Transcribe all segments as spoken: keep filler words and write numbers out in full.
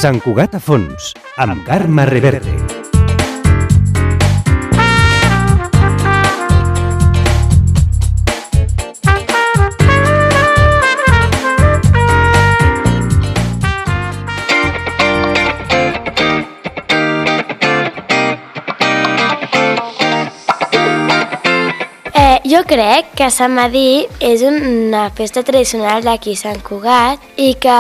Sant Cugat a fons, amb Carme Reverte. Jo crec que Sant Medir és una festa tradicional d'aquí Sant Cugat i que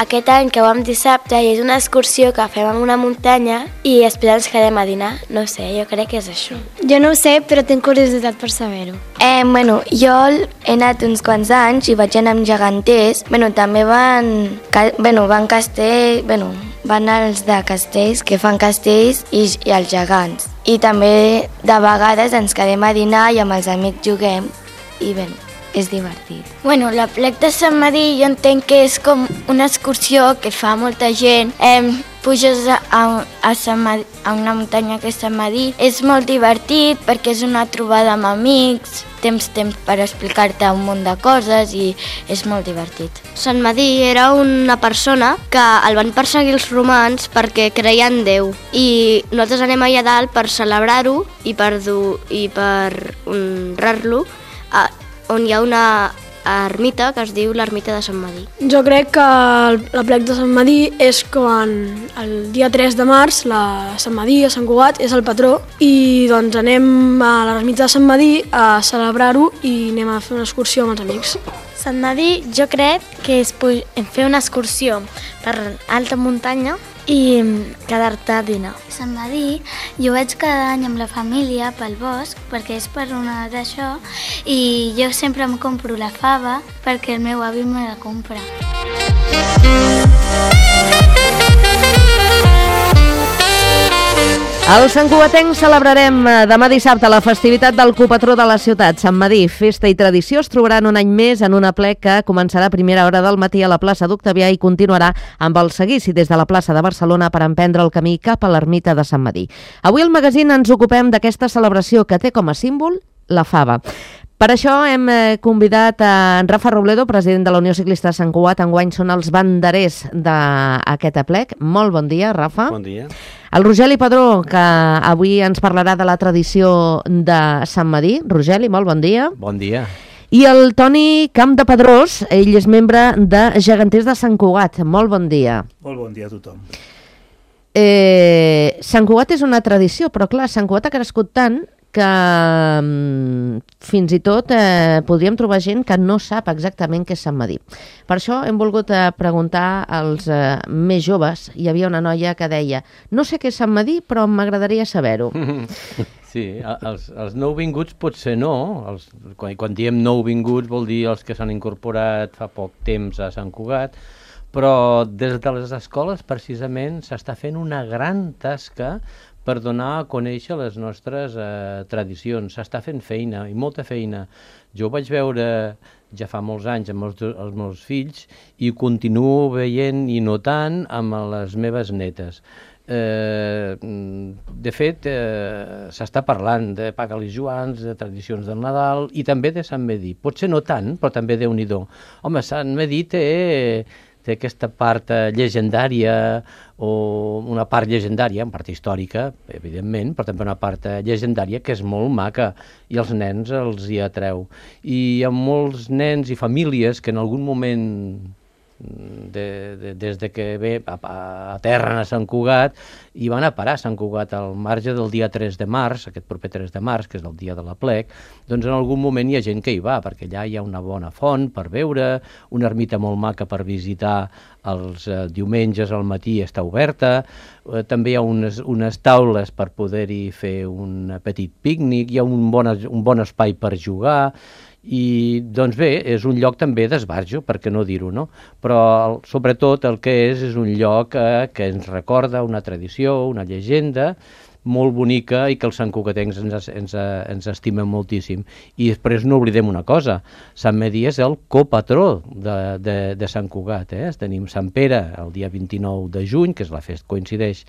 aquest any que vam dissabte és una excursió que fem en una muntanya i després ens quedem a dinar. No sé, jo crec que és això. Jo no ho sé, però tinc curiositat per saber-ho. Eh, bueno, jo he anat uns quants anys i vaig anar amb geganters. Bueno, també van... Bueno, van castell... Bueno, van els de castells, que fan castells, i, i els gegants. I també de vegades ens quedem a dinar i amb els amics juguem i bé, és divertit. Bueno, la plec de Sant Medir jo entenc que és com una excursió que fa molta gent. Eh, puges a, a, Sant Medir, a una muntanya que és Sant Medir. És molt divertit perquè és una trobada amb amics, tens temps per explicar-te un munt de coses i és molt divertit. Sant Medir era una persona que el van perseguir els romans perquè creien en Déu i nosaltres anem allà dalt per celebrar-ho i per, dur, i per honrar-lo, on hi ha una ermita que es diu l'ermita de Sant Medir. Jo crec que el, la plec de Sant Medir és quan el dia tres de març, la Sant Medir, a Sant Cugat, és el patró i doncs anem a l'ermita de Sant Medir a celebrar-ho i anem a fer una excursió amb els amics. Sant Medir jo crec que és fer una excursió per alta muntanya i quedar-te a dinar. Sant Medir jo vaig cada any amb la família pel bosc perquè és per una d'això i jo sempre em compro la fava perquè el meu avi me la compra. Els santcugatencs celebrarem demà dissabte la festivitat del copatró de la ciutat, Sant Medir. Festa i tradició es trobaran un any més en una plec que començarà a primera hora del matí a la plaça d'Octavià i continuarà amb el seguici des de la plaça de Barcelona per emprendre el camí cap a l'ermita de Sant Medir. Avui al magazín ens ocupem d'aquesta celebració que té com a símbol la fava. Per això hem convidat a en Rafa Robledo, president de la Unió Ciclista de Sant Cugat. Enguany són els banderers d'aquest aplec. Molt bon dia, Rafa. Bon dia. El Rogeli Padró, que avui ens parlarà de la tradició de Sant Medir. Rogeli, molt bon dia. Bon dia. I el Toni Camp de Pedrós, ell és membre de Geganters de Sant Cugat. Molt bon dia. Molt bon dia a tothom. Eh, Sant Cugat és una tradició, però clar, Sant Cugat ha crescut tant que um, fins i tot eh, podríem trobar gent que no sap exactament què és Sant Medir. Per això hem volgut eh, preguntar als eh, més joves. Hi havia una noia que deia: no sé què és Sant Medir, però m'agradaria saber-ho. Sí, els, els nouvinguts potser no. Els, quan, quan diem nouvinguts vol dir els que s'han incorporat fa poc temps a Sant Cugat, però des de les escoles precisament s'està fent una gran tasca per donar a conèixer les nostres eh, tradicions. S'està fent feina, i molta feina. Jo ho vaig veure ja fa molts anys amb els, els meus fills i continuo veient i notant amb les meves netes. Eh, de fet, eh, s'està parlant de Pagalis Joans, de tradicions del Nadal i també de Sant Medir. Potser no tant, però també Déu-n'hi-do. Home, Sant Medir té... té aquesta part llegendària, o una part llegendària, una part històrica, evidentment, però també una part llegendària que és molt maca i els nens els hi atreu. I hi ha molts nens i famílies que en algun moment, de, de, des de que ve a, a terra a Sant Cugat, i van a parar a Sant Cugat al marge del dia tres de març, aquest proper tres de març, que és el dia de l'aplec, doncs en algun moment hi ha gent que hi va, perquè allà hi ha una bona font per veure, una ermita molt maca per visitar els eh, diumenges al matí està oberta, eh, també hi ha unes, unes taules per poder-hi fer un petit pícnic, hi ha un bon, un bon espai per jugar, i doncs bé, és un lloc també d'esbarjo, per què no dir-ho, no? Però sobretot el que és és un lloc eh, que ens recorda una tradició, una llegenda molt bonica i que els santcugatencs ens, ens, ens estimen moltíssim. I després no oblidem una cosa, Sant Medir és el copatró de, de, de Sant Cugat. Eh? Tenim Sant Pere el dia vint-i-nou de juny, que és la festa, coincideix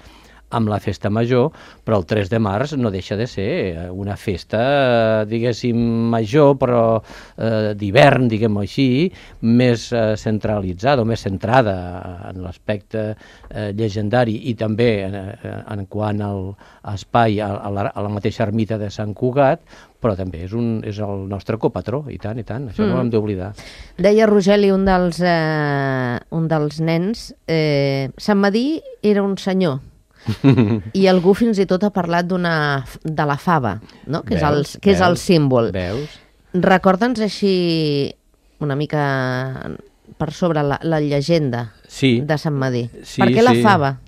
amb la festa major, però el tres de març no deixa de ser una festa, diguéssim, major, però eh, d'hivern, diguem-ho així, més eh, centralitzada o més centrada en l'aspecte eh, llegendari i també en, en quant al espai, a, a, la, a la mateixa ermita de Sant Cugat, però també és, un, és el nostre copatró, i tant, i tant, això mm. no ho hem d'oblidar. Deia Rogeli, un dels, eh, un dels nens, eh, Sant Medir era un senyor, i algú fins i tot ha parlat d'una de la fava, no? que, veus, és el, que veus, és el símbol. Veus? Recorda'ns així una mica per sobre la, la llegenda sí. de Sant Medir. Sí, per què sí. la fava?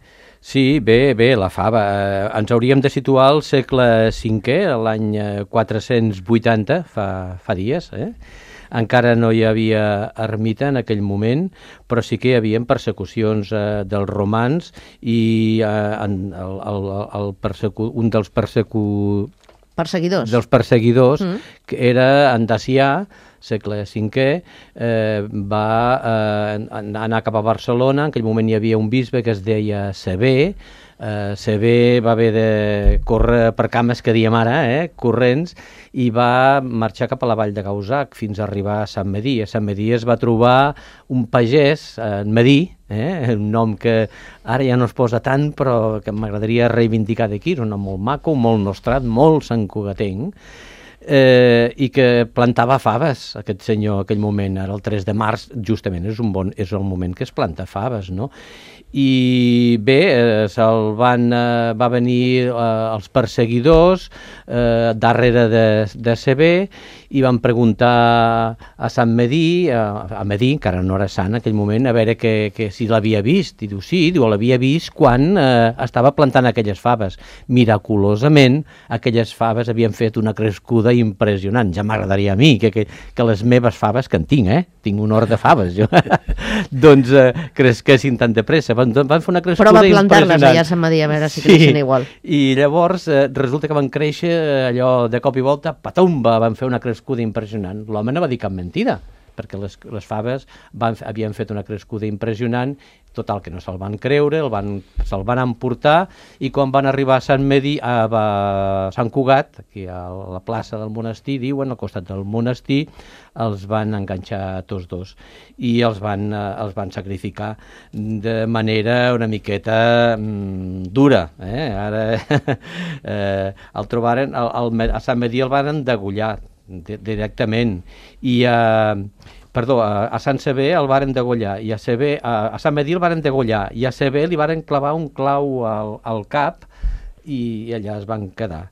Sí, bé, bé, la fava. Eh, ens hauríem de situar al segle cinquè, l'any quatre-cents vuitanta, fa, fa dies, eh? Encara no hi havia ermita en aquell moment, però sí que hi havia persecucions eh, dels romans i eh, en, el, el, el persecu, un dels persecu... perseguidors, dels perseguidors mm. que era en Dacià, segle cinquè, eh, va eh, anar cap a Barcelona. En aquell moment hi havia un bisbe que es deia Sever. Uh, Sever va haver de córrer per cames que diem ara, eh, corrents, i va marxar cap a la vall de Gauzac fins a arribar a Sant Medir. A Sant Medir es va trobar un pagès, eh, en Medir, eh, un nom que ara ja no es posa tant, però que m'agradaria reivindicar d'aquí, és un nom molt maco, molt nostrat, molt santcugatenc, eh, i que plantava faves, aquest senyor, aquell moment, ara el tres de març, justament és, un bon, és el moment que es planta faves, no? I bé, eh, se'l van, eh, va venir eh, els perseguidors eh, darrere de, de Sever i van preguntar a Sant Medir, a, a Medir, encara no era sant en aquell moment, a veure que, que si l'havia vist. I diu, sí, diu, l'havia vist quan eh, estava plantant aquelles faves. Miraculosament, aquelles faves havien fet una crescuda impressionant. Ja m'agradaria a mi que, que, que les meves faves, que en tinc, eh? Tinc un hort de faves, jo. doncs eh, cresquessin tan de pressa. Van, van fer una crescuda impressionant. Prova plantar-les allà a Sant Medir, a veure si sí. creixen igual. I llavors eh, resulta que van créixer allò de cop i volta, patumba, van fer una crescuda impressionant. L'home no va dir cap mentida, perquè les, les faves van, havien fet una crescuda impressionant, total que no se'l van creure, el van, se'l van emportar, i quan van arribar a Sant Medir, a, a Sant Cugat, aquí a la plaça del monestir, diuen, al costat del monestir, els van enganxar tots dos i els van, eh, els van sacrificar de manera una miqueta mm, dura. Eh? Ara eh, el trobaren, el, el, a Sant Medir el van degollar directament i a, perdó, a, a Sant Sever el varen degollar i a, Sever, a, a Sant Medir el varen degollar i a Sever li varen clavar un clau al, al cap i, i allà es van quedar.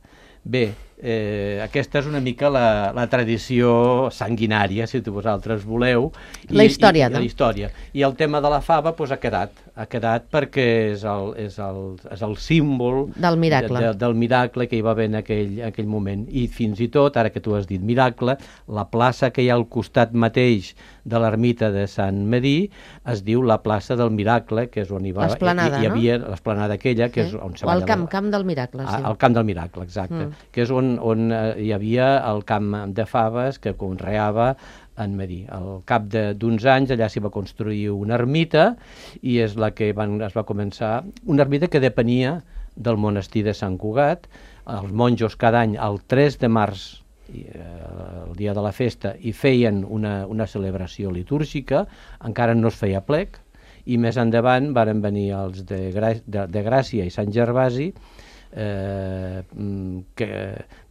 Bé, eh, aquesta és una mica la, la tradició sanguinària, si vosaltres voleu. I, la història, i, no? La història. I el tema de la fava pues, ha quedat, ha quedat perquè és el, és el, és el símbol del miracle. De, de, del miracle que hi va haver en aquell, aquell moment. I fins i tot, ara que tu has dit miracle, la plaça que hi ha al costat mateix de l'ermita de Sant Medir es diu la plaça del Miracle, que és on hi va... L'esplanada, hi, hi havia, no? L'esplanada aquella, que sí. és on se o va... el camp, camp del Miracle, sí. El camp del Miracle, exacte. Mm. Que és on, on hi havia el camp de faves que conreava en Medir. Al cap d'uns anys allà s'hi va construir una ermita i és la que van, es va començar... Una ermita que depenia del monestir de Sant Cugat. Els monjos cada any, el tres de març, el dia de la festa, i feien una, una celebració litúrgica, encara no es feia plec, i més endavant varen venir els de, Gra de, de Gràcia i Sant Gervasi, eh, que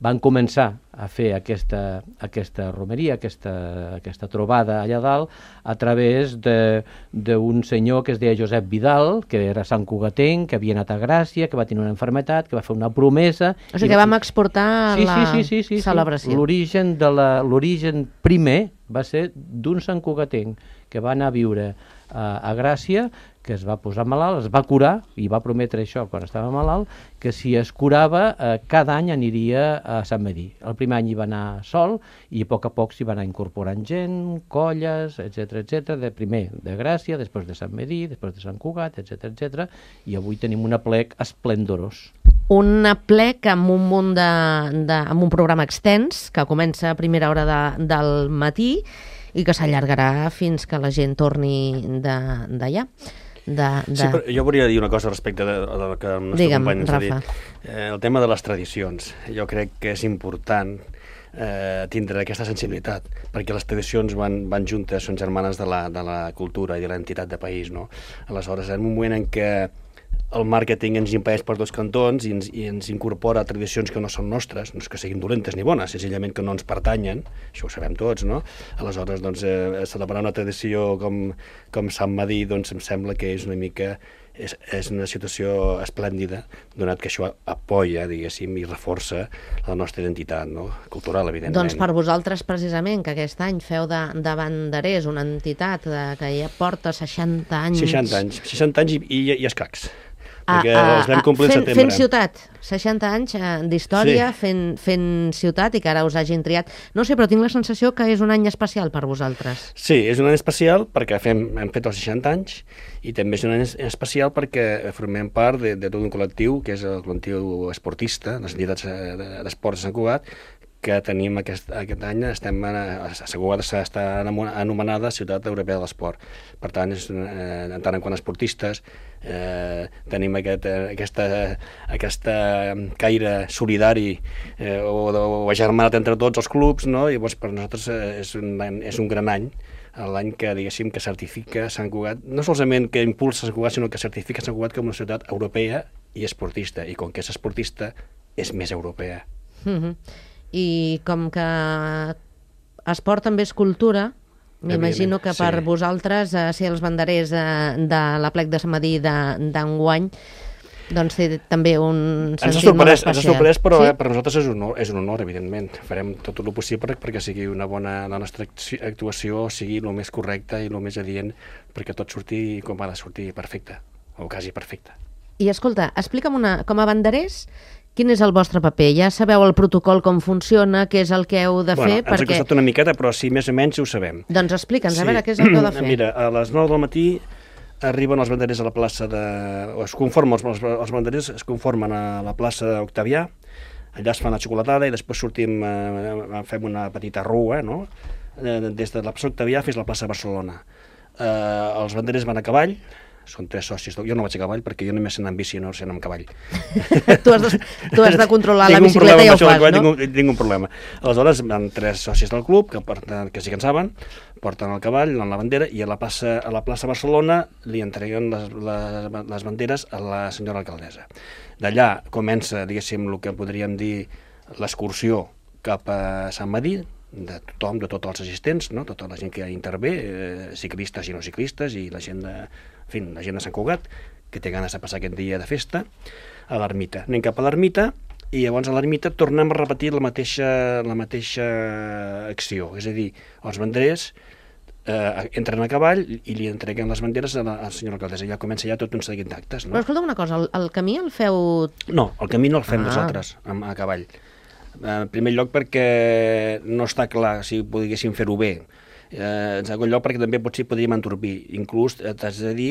van començar a fer aquesta, aquesta romeria, aquesta, aquesta trobada allà dalt, a través d'un senyor que es deia Josep Vidal, que era santcugatenc, que havia anat a Gràcia, que va tenir una malaltia, que va fer una promesa... O sigui, que vam exportar sí, la sí, sí, sí, sí, celebració. Sí. L'origen de la, l'origen primer va ser d'un santcugatenc que va anar a viure a, a Gràcia, que es va posar malalt, es va curar, i va prometre això quan estava malalt, que si es curava, eh, cada any aniria a Sant Medir. El primer any hi va anar sol, i a poc a poc s'hi va anar incorporant gent, colles, etcètera, etcètera, de primer de Gràcia, després de Sant Medir, després de Sant Cugat, etcètera, etcètera, i avui tenim un aplec esplendorós. Un aplec amb un munt de, de, amb un programa extens, que comença a primera hora de, del matí, i que s'allargarà fins que la gent torni d'allà. de... de... Sí, però jo volia dir una cosa respecte de, de del que el nostre Digue'm, company ens ha Rafa. dit. Eh, el tema de les tradicions. Jo crec que és important eh, tindre aquesta sensibilitat, perquè les tradicions van, van juntes, són germanes de la, de la cultura i de l'entitat de país, no? Aleshores, en un moment en què el màrqueting ens impedeix per dos cantons i ens, i ens incorpora tradicions que no són nostres, no és que siguin dolentes ni bones, senzillament que no ens pertanyen, això ho sabem tots, no? Aleshores, doncs, eh, celebrar una tradició com, com Sant Medir, doncs em sembla que és una mica, és, és una situació esplèndida, donat que això apoya, diguéssim, i reforça la nostra identitat, no? Cultural, evidentment. Doncs per vosaltres, precisament, que aquest any feu de, de banderers, una entitat de, que ja porta seixanta anys... seixanta anys, seixanta anys i, i, i escacs. Perquè a, a, els vam complir al fent, setembre. fent ciutat, seixanta anys eh, d'història, Sí. fent, fent ciutat i que ara us hagin triat. No sé, però tinc la sensació que és un any especial per vosaltres. Sí, és un any especial perquè fem, hem fet els seixanta anys i també és un any especial perquè formem part de, de tot un col·lectiu, que és el col·lectiu esportista, les entitats d'esports de Sant Cugat, que tenim aquest, aquest any, estem a Sant Cugat està anomenada Ciutat Europea de l'Esport. Per tant, és, eh, en tant en quant a esportistes, eh, tenim aquest, eh, aquesta, aquesta caire solidari eh, o, o agermanat entre tots els clubs, no? I llavors per nosaltres eh, és, un, és un gran any, l'any que, diguéssim, que certifica Sant Cugat, no solament que impulsa Sant Cugat, sinó que certifica Sant Cugat com una ciutat europea i esportista, i com que és esportista, és més europea. Mm-hmm. I com que esport també és cultura, m'imagino que per sí. vosaltres eh, ser els banderers eh, de l'Aplec de Sant Medir d'enguany doncs té també un Ens ha sentit molt sorprès, especial. ens ha sorprès, però sí? eh, per nosaltres és un, honor, és un honor, evidentment. Farem tot el possible perquè sigui una bona, la nostra actuació sigui el més correcta i el més adient perquè tot surti com ha de sortir perfecte, o quasi perfecte. I escolta, explica'm una, com a banderers, quin és el vostre paper? Ja sabeu el protocol com funciona, què és el que heu de bueno, fer? Ens perquè... ha costat una miqueta, però sí, més o menys ho sabem. Doncs explica'ns, sí. a veure què és el que heu de fer. Mira, a les nou del matí arriben els banderers a la plaça de... O es conformen, els, els banderers es conformen a la plaça d'Octavià, allà es fan la xocolatada i després sortim, eh, fem una petita rua, no? Eh, des de la plaça d'Octavià fins a la plaça de Barcelona. Eh, els banderers van a cavall, són tres socis, jo no vaig a cavall perquè jo només sé anar amb bici, no sé anar amb cavall. tu, has de, tu has de controlar la tinc bicicleta i ho fas, cavall, no? Tinc un, tinc un problema. Aleshores van tres socis del club que, porten, que sí que en saben, porten el cavall en la bandera i a la plaça, a la plaça Barcelona li entreguen les, les, les banderes a la senyora alcaldessa. D'allà comença, diguéssim, el que podríem dir l'excursió cap a Sant Medir, de tothom, de tots els assistents, no? Tota la gent que intervé, eh, ciclistes i no ciclistes, i la gent de, en fi, la gent de Sant Cugat, que té ganes de passar aquest dia de festa, a l'ermita. Anem cap a l'ermita, i llavors a l'ermita tornem a repetir la mateixa, la mateixa acció, és a dir, els banderers eh, entren a cavall i li entreguen les banderes a la, a la senyora alcaldessa, i ja comença ja tot un seguit d'actes. No? Però escolta una cosa, el, el camí el feu... No, el camí no el fem Ah. nosaltres, a, a cavall. En primer lloc perquè no està clar si poguéssim fer-ho bé. Eh, en segon lloc perquè també potser podríem entorpir. Inclús eh, t'has de dir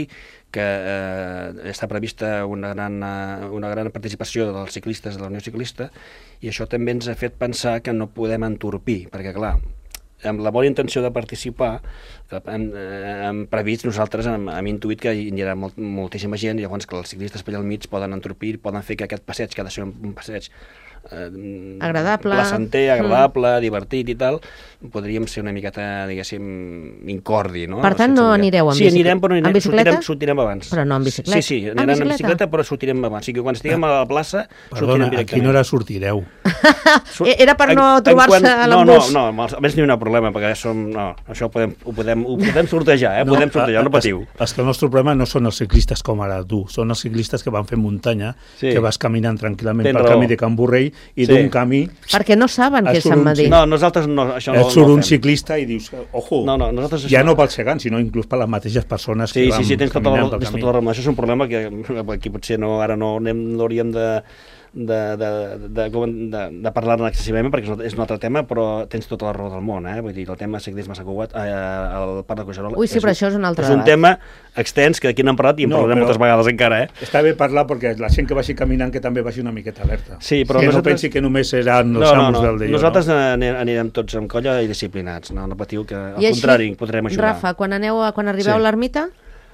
que eh, està prevista una gran, eh, una gran participació dels ciclistes de la Unió Ciclista i això també ens ha fet pensar que no podem entorpir, perquè clar, amb la bona intenció de participar, hem, hem previst, nosaltres hem, hem intuït que hi haurà molt, moltíssima gent, i llavors que els ciclistes per allà al mig poden entorpir, poden fer que aquest passeig, que ha de ser un passeig eh, agradable, placenter, agradable, mm. divertit i tal, podríem ser una miqueta, diguéssim, incordi, no? Per tant, no anireu amb sí, bicicleta? Sí, anirem, però anirem, amb bicicleta? Sortirem, sortirem abans. Però no amb bicicleta? Sí, sí, amb anirem bicicleta? amb bicicleta, però sortirem abans. O sigui, quan estiguem a la plaça, Perdona, sortirem a directament. quina hora sortireu? Era per no trobar-se a l'embús. No, no, no, a més n'hi ha un problema, perquè som, no, això ho podem, ho podem, ho podem sortejar, eh? No, podem sortejar, no patiu. És, és que el nostre problema no són els ciclistes com ara tu, són els ciclistes que van fer muntanya, sí. que vas caminant tranquil·lament Tens pel raó. camí de Can Borrell i Sí. d'un camí... Perquè no saben què és Sant Medir. No, nosaltres no, això no, et surt no un fem. ciclista i dius, ojo, no, no, nosaltres ja això... no pels gegants, sinó inclús per les mateixes persones sí, que van sí, sí, tens tota caminant la, pel tens camí. tota la raó. Això és un problema que aquí potser no, ara no, anem, no hauríem de... De, de, de, de, de parlar-ne excessivament perquè és un altre tema, però tens tota la raó del món, eh? Vull dir, el tema ciclisme a Sant Cugat, eh, al Parc de Collserola... Ui, sí, però això és un altre És un debat. tema extens que aquí n'hem parlat i en No, parlarem però- moltes vegades encara, eh? Està bé parlar perquè la gent que vagi caminant que també vagi una miqueta alerta. Sí, però que nosaltres... no pensi que només seran els No, no, amos no. del d'allò. Nosaltres no? anirem, anirem tots amb colla i disciplinats, no, no patiu, que al I així, contrari podrem ajudar. Rafa, quan, aneu a, quan arribeu Sí. a l'ermita,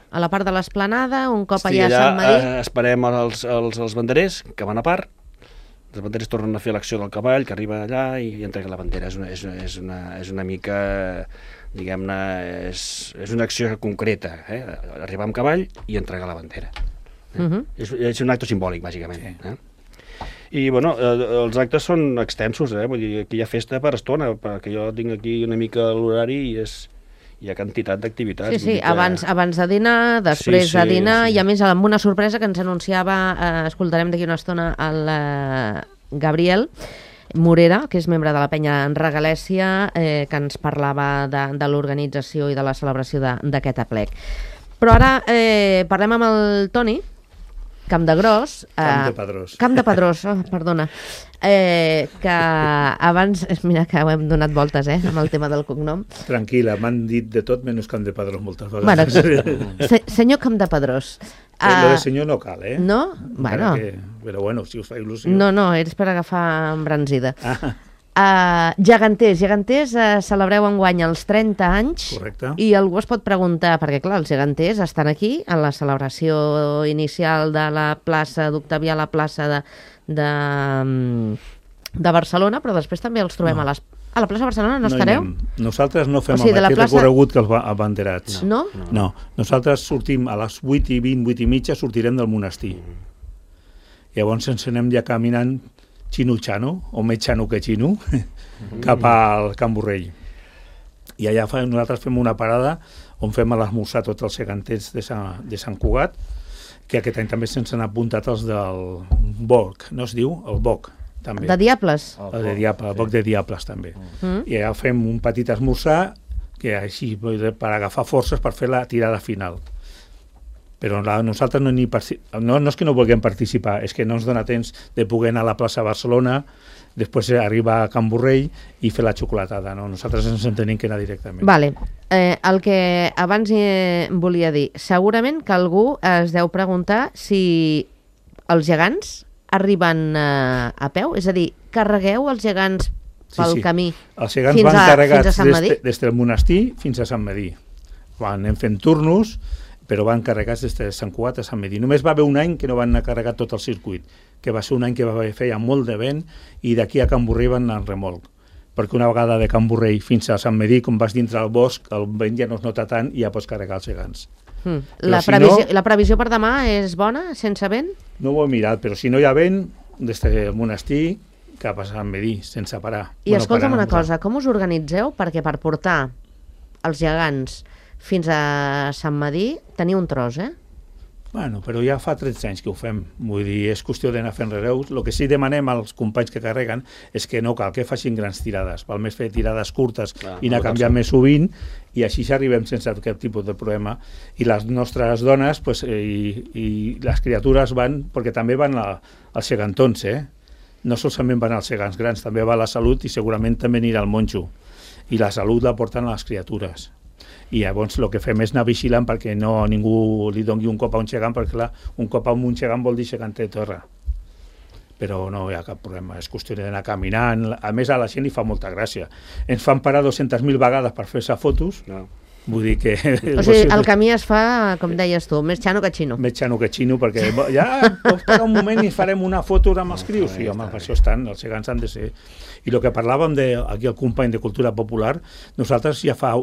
a la part de l'esplanada, un cop Sí, allà a allà Sant Madí... eh, esperem els, els, els banderers, que van a part, els banderers tornen a fer l'acció del cavall, que arriba allà i entrega la bandera. És una, és, és una, és una mica, diguem-ne, és, és una acció concreta, eh? Arribar amb cavall i entregar la bandera. Eh? Uh -huh. és, és un acte simbòlic, bàsicament. Sí. Eh? I, bueno, eh, els actes són extensos, eh? Vull dir, aquí hi ha festa per estona, perquè jo tinc aquí una mica l'horari i és... hi ha quantitat d'activitats. Sí, sí, que... abans, abans de dinar, després sí, sí, de dinar, sí. I a més amb una sorpresa que ens anunciava, eh, escoltarem d'aquí una estona, el eh, Gabriel Morera, que és membre de la penya en Regalèsia, eh, que ens parlava de, de l'organització i de la celebració d'aquest aplec. Però ara eh, parlem amb el Toni Campdegrós. Eh, Camp de Pedrós. Camp de Pedrós, oh, perdona. Eh, que abans, mira que ho hem donat voltes, eh, amb el tema del cognom. Tranquil·la, m'han dit de tot menys Camp de Pedrós moltes vegades. Bueno, se, senyor Camp de Pedrós. Uh, Lo de senyor no cal, eh? No? Bueno. Que, però bueno, si us fa il·lusió... No, no, és per agafar embranzida. Ah. Uh, geganters, geganters uh, celebreu enguany els trenta anys. Correcte. I algú es pot preguntar, perquè clar, els geganters estan aquí en la celebració inicial de la plaça d'Octavià, la plaça de, de, de Barcelona, però després també els trobem no. a, les, a la plaça de Barcelona, no, no estareu? Anem. Nosaltres no fem o sigui, el mateix plaça... recorregut que els abanderats. No? no? No, nosaltres sortim a les vuit i vint, vuit i mitja, sortirem del monestir. Llavors ens anem ja caminant xino-xano, o més xano que xino, mm. cap al Can Borrell. I allà fa, nosaltres fem una parada on fem l'esmorzar tots els geganters de Sant, de Sant Cugat, que aquest any també se'ns han apuntat els del Boc, no es diu? El Boc, també. De Diables? El de Diables, el Boc de Diables, també. Mm. I allà fem un petit esmorzar, que així, per agafar forces per fer la tirada final. Però la, nosaltres no, ni no, no és que no vulguem participar, és que no ens dona temps de poder anar a la plaça de Barcelona, després arribar a Can Borrell i fer la xocolatada. No? Nosaltres ens en tenim que anar directament. Vale. Eh, el que abans eh, volia dir, segurament que algú es deu preguntar si els gegants arriben eh, a peu, és a dir, carregueu els gegants pel sí, sí. camí els gegants fins van a, carregats fins a Sant Madí? Des, des del monestir fins a Sant Madí. Van anem fent turnos, però van carregats des de Sant Cugat a Sant Madí. Només va haver un any que no van anar carregat tot el circuit, que va ser un any que va fer molt de vent i d'aquí a Can Borrell van anar en remolc. Perquè una vegada de Can Borrell fins a Sant Madí, com vas dintre el bosc, el vent ja no es nota tant i ja pots carregar els gegants. Mm. La, si previsió, no, la previsió per demà és bona, sense vent? No ho he mirat, però si no hi ha vent, des del monestir cap a Sant Madí, sense parar. I bueno, escolta'm una cosa, com us organitzeu? Perquè per portar els gegants fins a Sant Madí teniu un tros, eh? Bueno, però ja fa tretze anys que ho fem. Vull dir, és qüestió d'anar fent rereus. El que sí demanem als companys que carreguen és que no cal que facin grans tirades. Val més fer tirades curtes ah, i anar no canviant més sovint i així s'arribem sense aquest tipus de problema. I les nostres dones pues, i, i les criatures van, perquè també van a, als gegantons, eh? No solament van als gegants grans, també va a la salut i segurament també anirà al monjo. I la salut la porten a les criatures. I llavors el que fem és anar vigilant perquè no ningú li doni un cop a un gegant, perquè clar, un cop a un gegant vol dir gegant de terra. Però no hi ha cap problema, és qüestió d'anar caminant. A més, a la gent li fa molta gràcia. Ens fan parar dues-centes mil vegades per fer-se fotos, no. Vull dir que... O sigui, el camí es fa, com deies tu, més xano que xino. Més xano que xino, perquè ja pots parar un moment i farem una foto amb els crios. Sí, home, per això estan, els gegants han de ser... I el que parlàvem de, aquí el company de Cultura Popular, nosaltres ja fa...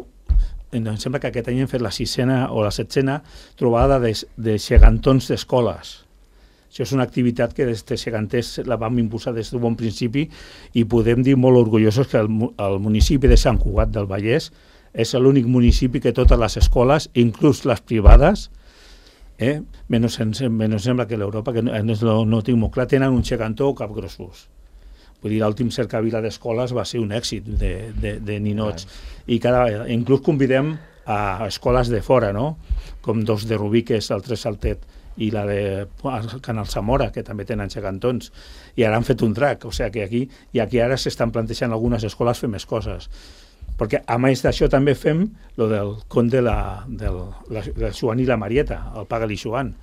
Em sembla que aquest any hem fet la sisena o la setzena trobada de, de gegantons d'escoles. Això és una activitat que des de geganters la vam impulsar des d'un bon principi i podem dir molt orgullosos que el, el municipi de Sant Cugat del Vallès és l'únic municipi que totes les escoles, inclús les privades, eh, menys, menys sembla que l'Europa, que no, no, no tinc molt clar, tenen un gegantó o capgrossos. Vull dir, l'últim cercavila d'escoles va ser un èxit de, de, de ninots. I cada, inclús convidem a escoles de fora, no? Com dos de Rubí, que és el Tres Saltet, i la de Can Alsamora, que també tenen gegantons. I ara han fet un drac, o sigui que aquí, i aquí ara s'estan plantejant algunes escoles fer més coses. Perquè a més d'això també fem lo del conte de la, del, la, del Joan i la Marieta, el Paga-li Joan.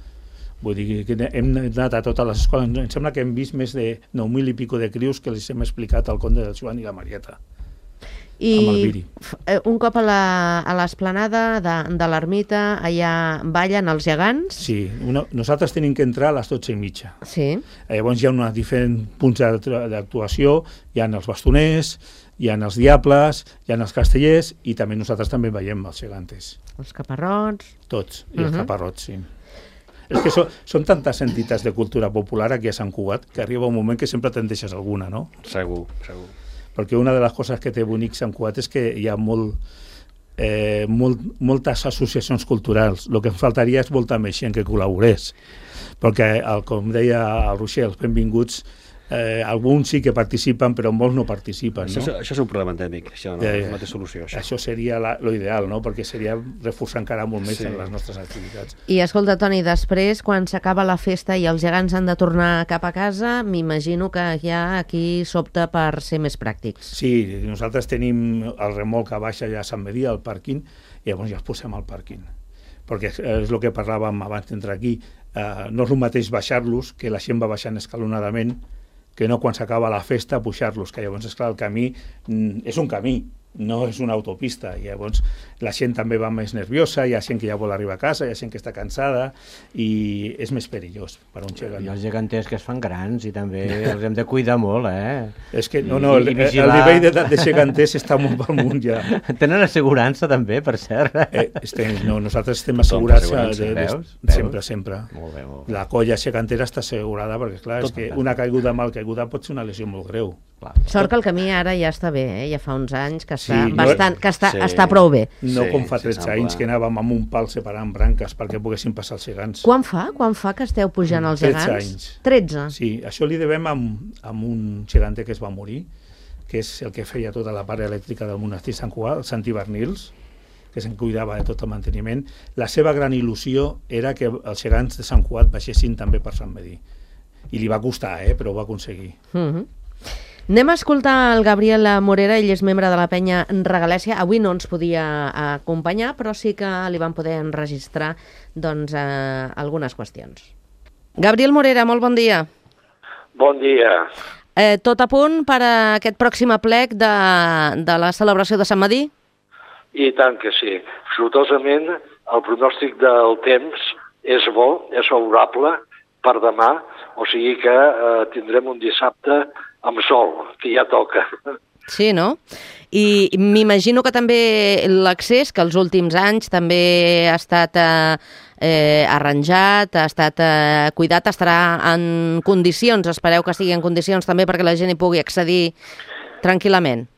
Vull dir que hem anat a totes les escoles. Em sembla que hem vist més de nou mil i pico de crios que els hem explicat el conte del Joan i la Marieta. I amb el Viri. Un cop a l'esplanada de, de l'ermita, allà ballen els gegants? Sí, una, nosaltres tenim que entrar a les dotze i mitja. Sí. Llavors hi ha uns diferents punts d'actuació, hi ha els bastoners, hi ha els diables, hi ha els castellers, i també nosaltres també veiem els gegantes. Els caparrots... Tots, i uh-huh. els caparrots, sí. És que són, són tantes entitats de cultura popular aquí a Sant Cugat que arriba un moment que sempre te'n deixes alguna, no? Segur, segur. Perquè una de les coses que té bonic Sant Cugat és que hi ha molt, eh, molt, moltes associacions culturals. El que em faltaria és molta més gent que col·laborés. Perquè, el, com deia el Roger, els benvinguts, eh, alguns sí que participen, però molts no participen. Això, no? això és un problema endèmic, això no, eh, no té solució. Això, això seria la, lo ideal, no? Perquè seria reforçar encara molt més sí. en les nostres activitats. I escolta, Toni, després, quan s'acaba la festa i els gegants han de tornar cap a casa, m'imagino que ja aquí s'opta per ser més pràctics. Sí, nosaltres tenim el remolc a baixa ja a Sant Medir, al pàrquing, i llavors ja els posem al pàrquing. Perquè és el que parlàvem abans d'entrar aquí. Eh, no és el mateix baixar-los, que la gent va baixant escalonadament, que no quan s'acaba la festa pujar-los, que llavors, esclar, el camí mm, és un camí, no és una autopista, i llavors la gent també va més nerviosa, hi ha gent que ja vol arribar a casa, hi ha gent que està cansada, i és més perillós per un gegant. I els geganters que es fan grans i també els hem de cuidar molt, eh? És que, no, no, el, el nivell de, de geganters està molt pel munt ja. Tenen assegurança també, per cert? Eh, estem, no, nosaltres estem assegurats de, de, de, veus? sempre, sempre. Molt bé, molt bé. La colla gegantera està assegurada, perquè clar, és que una caiguda mal caiguda pot ser una lesió molt greu. Clar. Sort que el camí ara ja està bé, eh? Ja fa uns anys que està, Sí, no- bastant, que està, Sí. està prou bé. No Sí, com fa sí, tretze sembla. anys que anàvem amb un pal separant branques perquè poguessin passar els gegants. Quan fa? Quan fa que esteu pujant els tretze gegants? anys. tretze? Sí, això li devem amb, amb un geganter que es va morir, que és el que feia tota la part elèctrica del monestir Sant Cugat, el Santi Bernils, que se'n cuidava de tot el manteniment. La seva gran il·lusió era que els gegants de Sant Cugat baixessin també per Sant Medir. I li va costar, eh, però ho va aconseguir. Uh-huh. Anem a escoltar el Gabriel Morera, ell és membre de la penya Regalèsia. Avui no ens podia acompanyar, però sí que li van poder enregistrar doncs, eh, algunes qüestions. Gabriel Morera, molt bon dia. Bon dia. Eh, tot a punt per a aquest pròxim aplec de, de la celebració de Sant Medir? I tant que sí. Sortosament, el pronòstic del temps és bo, és favorable per demà, o sigui que eh, tindrem un dissabte amb sol, que ja toca. Sí, no? I m'imagino que també l'accés, que els últims anys també ha estat eh, eh, arranjat, ha estat eh, cuidat, estarà en condicions, espereu que estigui en condicions també perquè la gent hi pugui accedir tranquil·lament.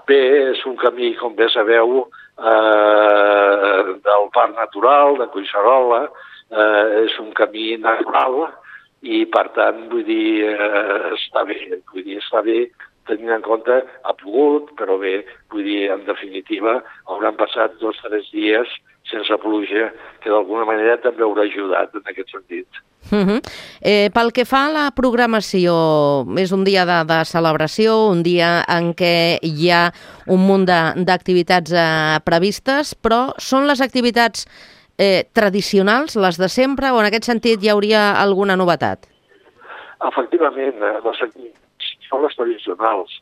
Bé, és un camí, com bé sabeu, eh, del Parc Natural, de Collserola, eh, és un camí natural, i per tant, vull dir, eh, està bé, vull dir, està bé tenint en compte, ha pogut, però bé, vull dir, en definitiva, hauran passat dos o tres dies sense pluja, que d'alguna manera també haurà ajudat en aquest sentit. Uh -huh. eh, pel que fa a la programació, és un dia de, de celebració, un dia en què hi ha un munt d'activitats eh, previstes, però són les activitats Eh, tradicionals, les de sempre, o en aquest sentit hi hauria alguna novetat? Efectivament, les activitats són les tradicionals,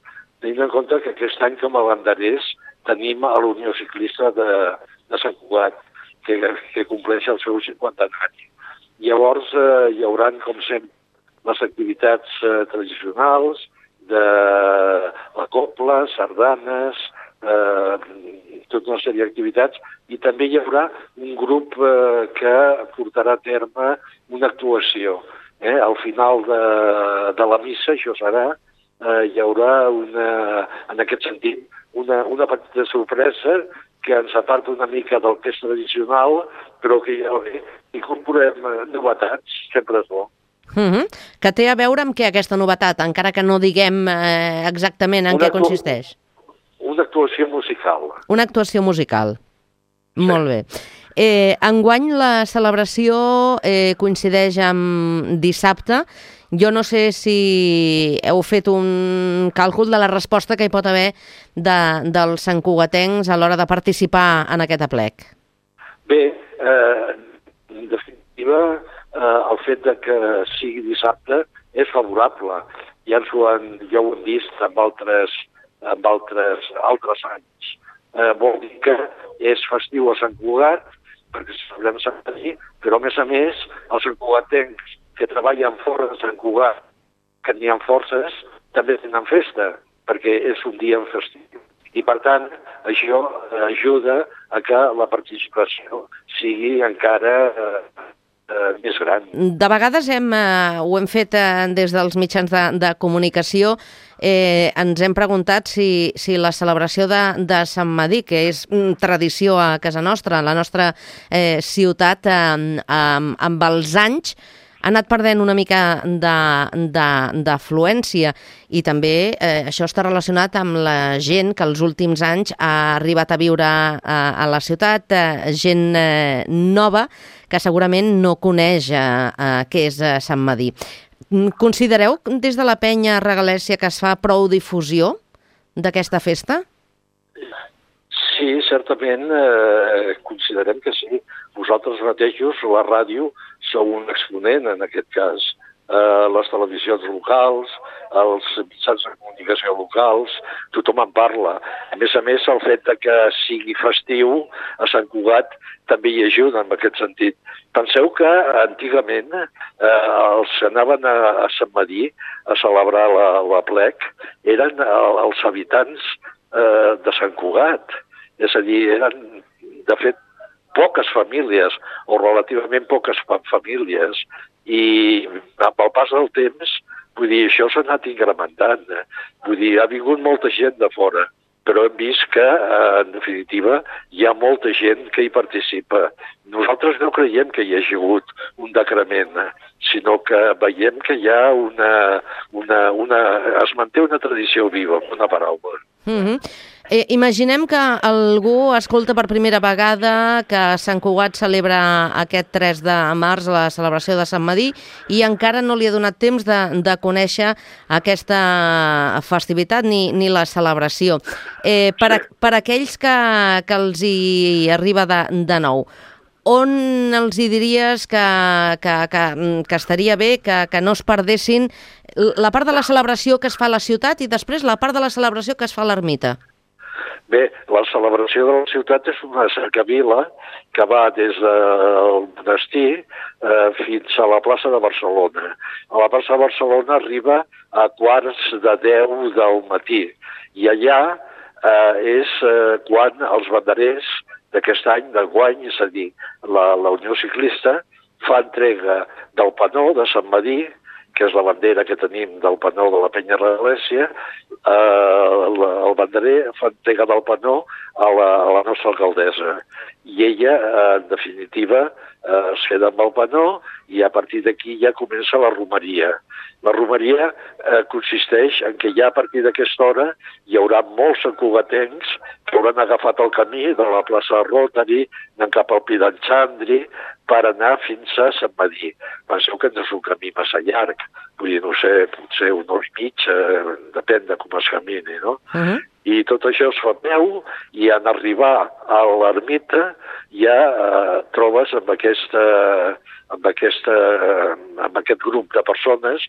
tenint en compte que aquest any com a banderers tenim a l'Unió Ciclista de, de Sant Cugat, que, que compleix el seu cinquantenari. Llavors eh, hi haurà, com sempre, les activitats eh, tradicionals de la copla, sardanes, eh, tota una sèrie d'activitats, i també hi haurà un grup eh, que portarà a terme una actuació. Eh? Al final de, de la missa, això serà, eh, hi haurà, una, en aquest sentit, una, una petita sorpresa que ens aparta una mica del que és tradicional, però que ja bé, incorporem novetats, sempre és bo. Uh -huh. Que té a veure amb què aquesta novetat, encara que no diguem eh, exactament en Una què consisteix? Una actuació musical. Una actuació musical. Sí. Molt bé. Eh, enguany la celebració eh, coincideix amb dissabte. Jo no sé si heu fet un càlcul de la resposta que hi pot haver de, dels santcugatencs a l'hora de participar en aquest aplec. Bé, eh, en definitiva, eh, el fet de que sigui dissabte és favorable. Ja, ens ho han, ja ho hem vist amb altres amb altres, altres anys. Eh, vol dir que és festiu a Sant Cugat, perquè celebrem Sant Madí, però a més a més els santcugatencs que treballen fora de Sant Cugat, que n'hi ha forces, també tenen festa, perquè és un dia festiu. I per tant, això ajuda a que la participació sigui encara eh, eh, més gran. De vegades hem, eh, ho hem fet eh, des dels mitjans de, de comunicació, eh, ens hem preguntat si, si la celebració de, de Sant Madí, que és mm, tradició a casa nostra, a la nostra eh, ciutat, eh, amb, amb els anys, ha anat perdent una mica d'afluència i també eh, això està relacionat amb la gent que els últims anys ha arribat a viure a, a la ciutat, eh, gent eh, nova que segurament no coneix eh, eh, què és eh, Sant Madí. Considereu des de la penya Regalèssia que es fa prou difusió d'aquesta festa? Sí, certament eh, considerem que sí. Vosaltres mateixos, la ràdio, sou un exponent en aquest cas. Eh, les televisions locals, els mitjans de comunicació locals, tothom en parla. A més a més, el fet de que sigui festiu a Sant Cugat també hi ajuda en aquest sentit. Penseu que antigament eh, els que anaven a, a Sant Madí a celebrar la, la plec eren els habitants eh, de Sant Cugat. És a dir, eren, de fet, poques famílies, o relativament poques famílies, i amb el pas del temps, vull dir, això s'ha anat incrementant. Vull dir, ha vingut molta gent de fora, però hem vist que, en definitiva, hi ha molta gent que hi participa. Nosaltres no creiem que hi hagi hagut un decrement, sinó que veiem que hi ha una... una, una es manté una tradició viva, amb una paraula. Mm-hmm. Eh, imaginem que algú escolta per primera vegada que Sant Cugat celebra aquest tres de març la celebració de Sant Madí i encara no li ha donat temps de, de conèixer aquesta festivitat ni, ni la celebració. Eh, per, a, per aquells que, que els hi arriba de, de nou, on els hi diries que, que, que, que estaria bé que, que no es perdessin la part de la celebració que es fa a la ciutat i després la part de la celebració que es fa a l'ermita? Bé, la celebració de la ciutat és una cercavila que va des del monestir eh, fins a la plaça de Barcelona. A la plaça de Barcelona arriba a quarts de deu del matí i allà eh, és eh, quan els banderers d'aquest any, d'enguany, és a dir, la, la Unió Ciclista, fa entrega del panó de Sant Madí, que és la bandera que tenim del panó de la penya Regalèssia, eh, el banderer fa entrega del panó a la, a la nostra alcaldessa. I ella, eh, en definitiva, eh, es queda amb el panó i a partir d'aquí ja comença la romeria. La romeria eh, consisteix en que ja a partir d'aquesta hora hi haurà molts santcugatencs que hauran agafat el camí de la plaça Rotary, anant cap al Pi d'en Xandri, per anar fins a Sant Madí. Penseu que no és un camí massa llarg, vull dir, no sé, potser una hora i mig, eh, depèn de com es camini, no? Uh-huh. I tot això es fa a peu i en arribar a l'ermita ja eh, trobes amb, aquesta, amb, aquesta, eh, amb aquest grup de persones.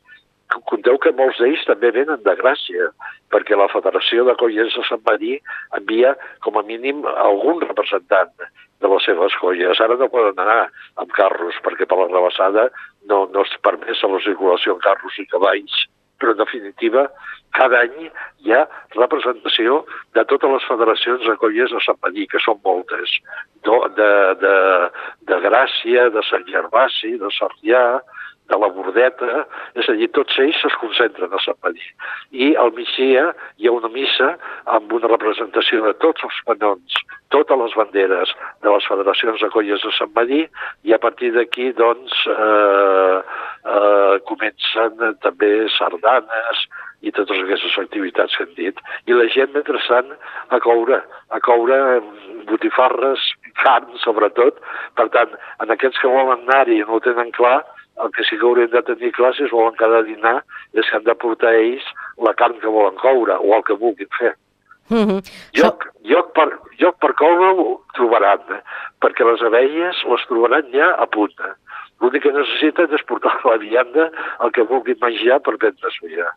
Conteu que molts d'ells també venen de Gràcia, perquè la Federació de Colles de Sant Madí envia com a mínim algun representant de les seves colles. Ara no poden anar amb carros, perquè per la rebassada no, no és permès la circulació en carros i cavalls. Però, en definitiva, cada any hi ha representació de totes les federacions de colles de Sant Madí, que són moltes. De, de, de, de Gràcia, de Sant Gervasi, de Sarrià, de la Bordeta, és a dir, tots ells es concentren a Sant Madí. I al migdia hi ha una missa amb una representació de tots els panons, totes les banderes de les federacions de colles de Sant Madí, i a partir d'aquí, doncs, eh, eh, comencen també sardanes i totes aquestes activitats que hem dit. I la gent, mentrestant, a coure, a coure botifarres, carn, sobretot. Per tant, en aquests que volen anar-hi i no ho tenen clar, el que sí que haurem de tenir clar, si es volen quedar a dinar, és que han de portar ells la carn que volen coure o el que vulguin fer. Mm-hmm. Lloc, lloc, per, lloc per coure ho trobaran, eh? Perquè les abelles les trobaran ja a punt. L'únic que necessiten és portar a la vianda el que vulguin menjar per prendre-s'ho ja.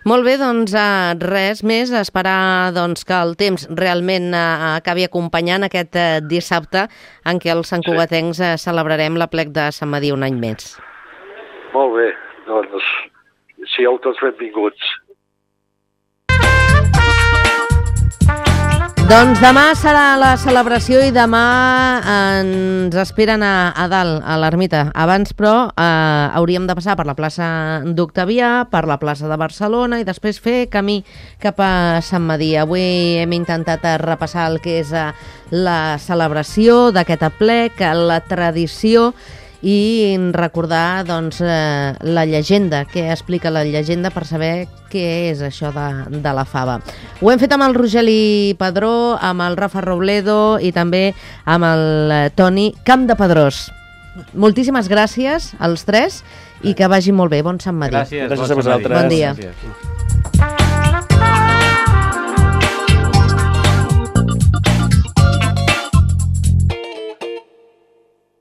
Molt bé, doncs eh, res més, esperar doncs, que el temps realment eh, acabi acompanyant aquest eh, dissabte en què els santcugatencs eh, celebrarem l'aplec de Sant Medir un any més. Molt bé, doncs sigueu tots benvinguts. Doncs demà serà la celebració i demà ens esperen a, a dalt, a l'ermita. Abans, però, eh, hauríem de passar per la plaça d'Octavià, per la plaça de Barcelona i després fer camí cap a Sant Medir. Avui hem intentat repassar el que és eh, la celebració d'aquest aplec, la tradició i recordar doncs, eh, la llegenda, què explica la llegenda per saber què és això de, de la fava. Ho hem fet amb el Rogeli Padró, amb el Rafa Robledo i també amb el Toni Campdepadrós. Moltíssimes gràcies als tres i que vagi molt bé. Bon Sant Medir. Gràcies, gràcies a vosaltres. Bon dia. Gràcies.